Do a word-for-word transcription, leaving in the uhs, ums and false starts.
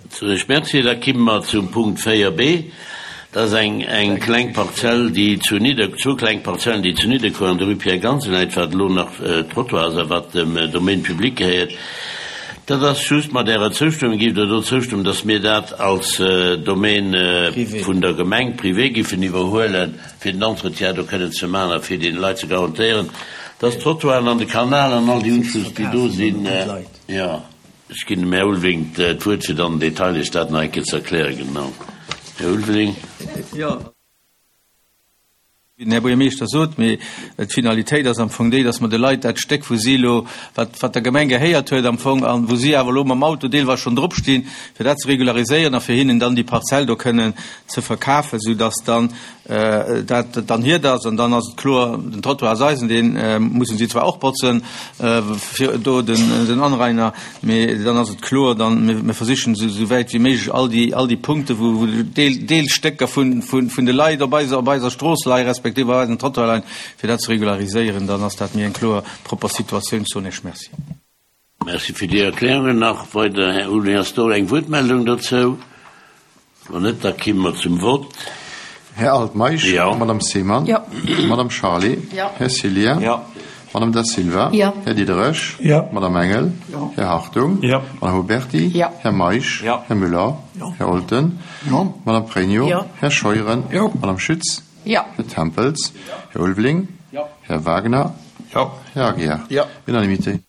Soen ech Merci. Da kimme mer zum Punkt véier b. Dat ass eng, eng kleng Parzell, déi zu Nidder, zwou kleng Parzellen, déi zu Nidderkuer an der Rue Pierre Gansen läit, wat elo nach Trottoir ass a wat dem Domaine public gehéiert. Dat ass just mat Ärer Zoustëmmung, giff Der do zoustëmmen, dass mir dat als Domaine vun der Gemeng privé giffen iwwerhuelen, fir den Entretien do kënnen ze maachen a fir deene Leit ze garantéieren, dass d'Trottoiren an de Kanal an all déi Unschlëss, déi do sinn, jo. Ech ginn dem Här Ulveling d'Wuert, fir dann am Detail Iech dat nach eng Kéier ze erklären. Genau, Här Ulveling. Jo, wéi den Här Buergermeeschter sot, mee d'Finalitéit ass am Fong déi, dass mer de Leit dat Stéck, wou si elo, wat, wat der Gemeng gehéiert huet am Fong an wou si awer elo mam Auto deelweis schonn dropstinn, fir dat ze regulariséieren a fir hinnen dann déi Parzell do kënnen ze verkafen, soudass dann dat dann hiert ass an dann ass et kloer, den Trottoir ass eisen, dee mussen si zwar och botzen, fir do den, den Anrainer, mee dann ass et kloer, dann, mir, mir versichen esou, esou wäit wéi méiglech all déi, all déi Punkte wou, wou Deel, Deelstécker vun, vun, vun de Leit op eiser, op eiser Strooss leien, respektiv op eisem Trottoir leien, fir dat ze regulariséieren, dann ass dat méi eng kloer, propper Situatioun. Soen ech Merci. Merci fir déi Erklärungen. Nach weider, Här Ulrich, ass do eng Wuertmeldung dozou? Wann net, da kimme mer zum Vott. Här Altmeisch. Jo. Madame Seemann. Jo. Madame Charlé. Jo. Här Cillien. Jo. Madame Da Silva. Jo. Här Diderich. Jo. Madame Engel. Jo. Här Hartung. Jo. Madame Huberty. Jo. Här Meisch. Jo. Här Müller. Jo. Här Olten. Jo. Madame Pregno. Jo. Här Scheuren. Jo. Madame Schütz. Jo. Här Tempels. Här Ulveling. Jo. Här Wagner. Jo. Här Aguiar. Jo. Unanimité.